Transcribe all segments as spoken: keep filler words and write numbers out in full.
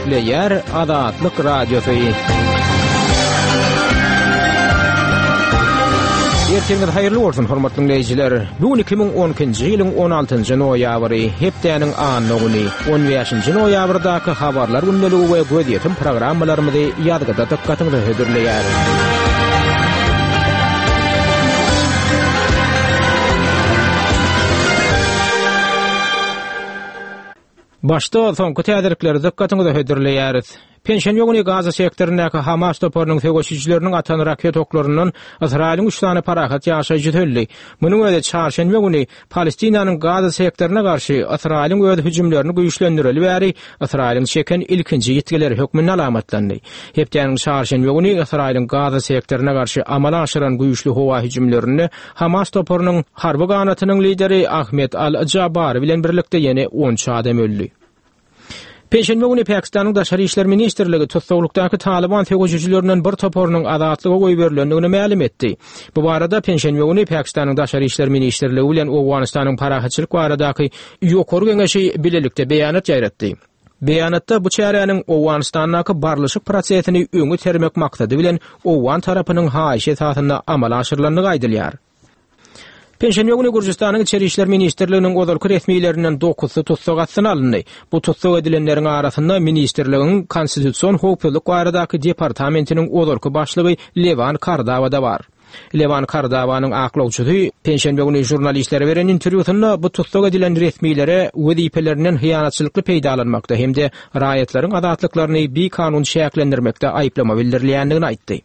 Gepleýär Azatlyk Radiosy. Ertiriňiz haýyrly bolsun, hormatly dinleýjiler. Bu gün iki müň on ikinji ýylyň on altynjy noýabry, hepdäniň anna güni, on bäşinji noýabrdaky habarlar gündeligi we gözýetim programmalarymyzy ýazgyda dykgatyňyza hödürleýäris. Başda soňky täzelikleri dykgatyňyza hödürleýäris. Penşenbe güni Gaza sektoryndaky Hamas toparynyň söweşijileriniň atan raket oklaryndan Ysraýylyň üç sany parahat ýaşaýjysy öldi. Munuň özi çarşenbe güni Palestinanyň Gaza sektoryna garşy Ysraýylyň öz hüjümlerini güýçlendireli bäri Ysraýylyň çeken ilkinji ýitgileri hökmünde alamatlandy. Hepdäniň çarşenbe güni Ysraýylyň Gaza sektoryna garşy amala aşyran güýçli howa hüjümlerinde Hamas toparynyň harby ganatynyň lideri Ahmet Al-Jabari bilen birlikde ýene on üç adam öldi. Penşenbe güni Pakistanyň Daşary İşler Ministrligi tussaglykdaky Taliban söweşijilerinden bir toparynyň azatlyga goýberilendigini mälim etdi. Bu barada Penşenbe güni Pakistanyň Daşary İşler Ministrligi bilen Owganystanyň parahatçylyk baradaky ýokary geňeşi bilelikde beýanat ýaýratdy. Beýanatda bu çäräniň Owganystandaky barlyşyk prosesini öňe termek maksady bilen Owgan tarapynyň haýyşy esasynda amala aşyrylandygy aýdylýar. Penşenbe güni Gürjüstanyň İçeri İşler Ministrliginiň ozalky resmilerinden dokuzsy tussag astyna alyndy. Bu tussag edilenleriň arasynda ministrligiň Konstitusion howpsuzlyk baradaky departamentiniň ozalky başlygy Lewan Kardawa da bar. Lewan Kardawanyň aklawçysy penşenbe güni žurnalistlere beren interwýusynda bu tussag edilen resmilere wezipelerinden hyýanatçylykly peýdalanmakda hem-de raýatlaryň azatlyklaryny bikanun çäklendirmekde aýyplama bildirilýändigini aýtdy.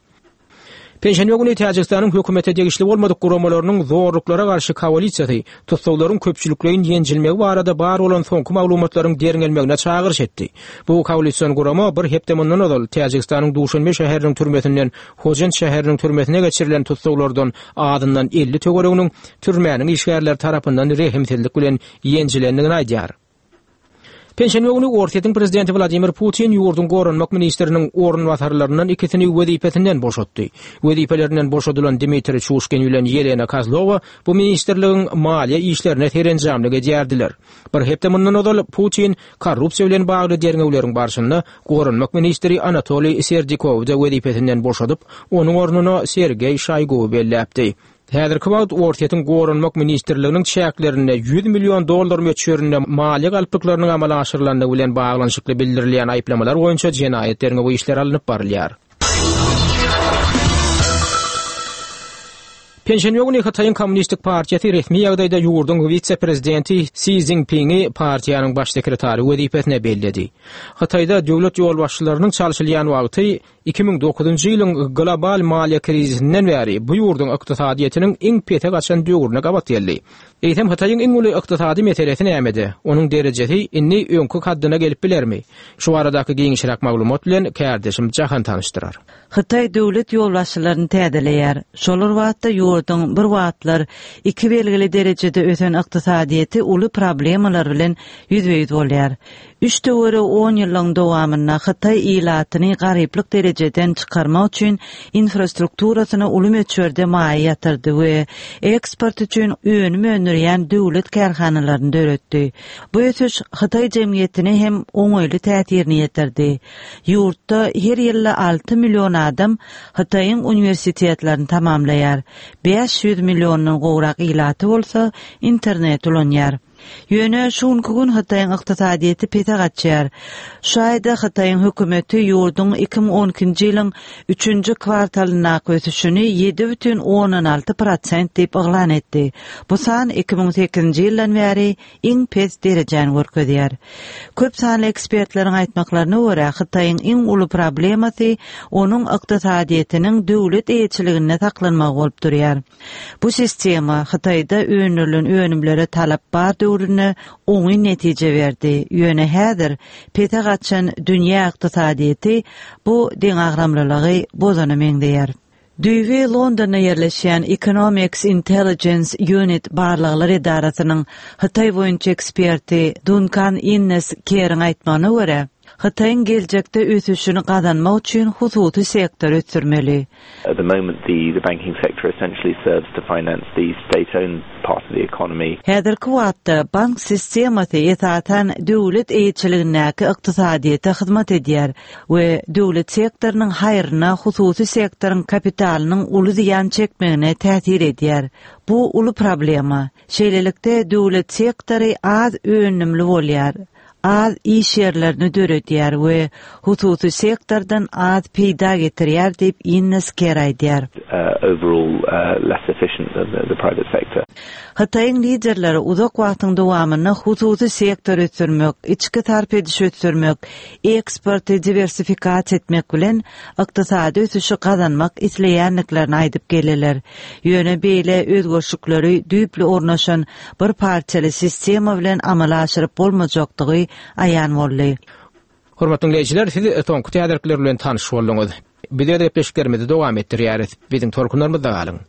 Penşenbe güni Täjigistanyň hökümete degişli bolmadyk guramalarynyň zorluklara garşy koalisiýasy tussaglaryň köpçülikleýin ýenjilmegi barada bar bolan soňky maglumatlaryň derňelmegine çagyryş etdi. Bu koalision gurama bir hepde mundan ozal Täjigistanyň Duşanbe şäheriniň türmesinden Hojent şäheriniň türmesine geçirilen tussaglardan azyndan elli töwereginiň türmäniň işgärleri tarapyndan rehimsizlik bilen ýenjilendigini aýdýar. Penşenbe güni Orsýetiň prezidenti Wladimir Putin ýurduň goranmak ministriniň orunbasarlaryndan ikisini wezipesinden boşatdy. Wezipelerinden boşadylan Dmitriý Çuşkin bilen Ýelena Kozlowa bu ministrligiň maliýe işlerine serenjamlyk edýärdiler. Bir hepde mundan ozal Putin korrupsiýa bilen bagly derňewleriň barşynda goranmak ministri Anatoliý Serdikowy da wezipesinden boşadyp, onuň ornuna Sergeý Şoýguwy belläpdi. Häzirki wagt Orsýetiň goranmak ministrliginiň çäklerinde ýüz million dollar möçberinde maliýe galplyklarynyň amala aşyrylandygy bilen baglanyşykly bildirilýän aýyplamalar boýunça jenaýat derňewi işleri alnyp barylýar. Penşenbe güni Hytaýyň Kommunistik partiýasy resmi ýagdaýda ýurduň wise-prezidenti Si Szinpingi partiýanyň baş sekretary wezipesine belledi. Hytaýda döwlet ýolbaşçylarynyň çalşylýan wagty iki müň dokuzynjy ýylyň global maliýe krizisinden bäri bu ýurduň ykdysadyýetiniň iň pese gaçan döwrüne gabat geldi. Eýsem Hytaýyň iň uly ykdysady meselesi nämede? Onuň derejesi indi öňki kaddyna gelip bilermi? Şu baradaky giňişräk maglumat bilen kärdeşim Jahan tanyşdyrar. Hytaý döwlet ýolbaşçylaryny täzeleýär. Şolar wagtda ýurduň bir wagtlar iki belgili derejede ösen ykdysadyýeti uly problemalar bilen ýüzbe-ýüz bolýar. Üç töweregi on ýyllyň dowamynda Hytaý ilatyny garyplyk derejeden çykarmak üçin infrastrukturasyna uly möçberde maýa ýatyrdy we eksport üçin önüm öndürýän döwlet kärhanalaryny döretdi. Bu ösüş Hytaý jemgyýetine hem oňaýly täsirini ýetirdi. Ýurtda her ýylda alty million adam Hytaýyň uniwersitetlerini tamamlaýar. Bäş ýüz milliondan gowrak ilaty bolsa internet ulanýar. Ýöne şu günki gün Hytaýyň ykdysadyýeti pese gaçýar. Şu aýda Hytaýyň hökümeti ýurduň iki müň on ikinji ýylyň üçünji kwartalyndaky ösüşini ýedi bütin ondan alty prosent diýip yglan etdi. Bu san iki müň sekizinji ýyldan bäri iň pes derejäni görkezýär. Köp sanly ekspertleriň aýtmaklaryna görä, Hytaýyň iň uly problemasy onuň ykdysadyýetiniň döwlet eýeçiliginde saklanmagy bolup durýar. Bu sistema Hytaýda öndürilen önümlere talap bar döwründe oňyn netije berdi. Ýöne häzir pese gaçan dünýä ykdysadyýeti bu deňagramlylygy bozana meňzeýär. Düýbi Londonda ýerleşýän Economics Intelligence Unit barlaglar edarasynyň Hytaý boýunça eksperti Duncan Innes Kerriň aýtmagyna görä, Hytaýyň geljekde ösüşini gazanmak üçin hususy sektory ösdürmeli. At the moment, the, the banking sector essentially serves to finance the state-owned part of the economy. Häzirki wagtda bank sistemasy esasan döwlet eýeçiligindäki ykdysadyýete hyzmat edýär we döwlet sektorynyň haýryna hususy sektoryň kapitalynyň uly zyýan çekmegine täsir edýär. Bu uly problema. Şeýlelikde döwlet sektory az önümli bolýar. Az iş ýerlerini döredýär we hususy sektordan az peýda getirýär diýip Innes Ker aýdýar. Uh, overall uh, less efficient than the, the private sector. Hytaýyň liderleri uzak wagtyň dowamynda hususy sektory ösdürmek, içki sarp edişi ösdürmek, eksporty diwersifikasiýa etmek bilen ykdysady ösüşi gazanmak isleýändiklerini aýdyp geldiler. Ýöne beýle özgerişlikleri düýpli ornaşan bir partiýaly sistema bilen amala aşyryp bolmajakdygy aýan boldy. Hormatly dinleýjiler, siz soňky täzelikler bilen tanyş bolduňyz. Biz öz gepleşiklerimizi dowam etdirýäris. Biziň tolkunlarymyzda galyň.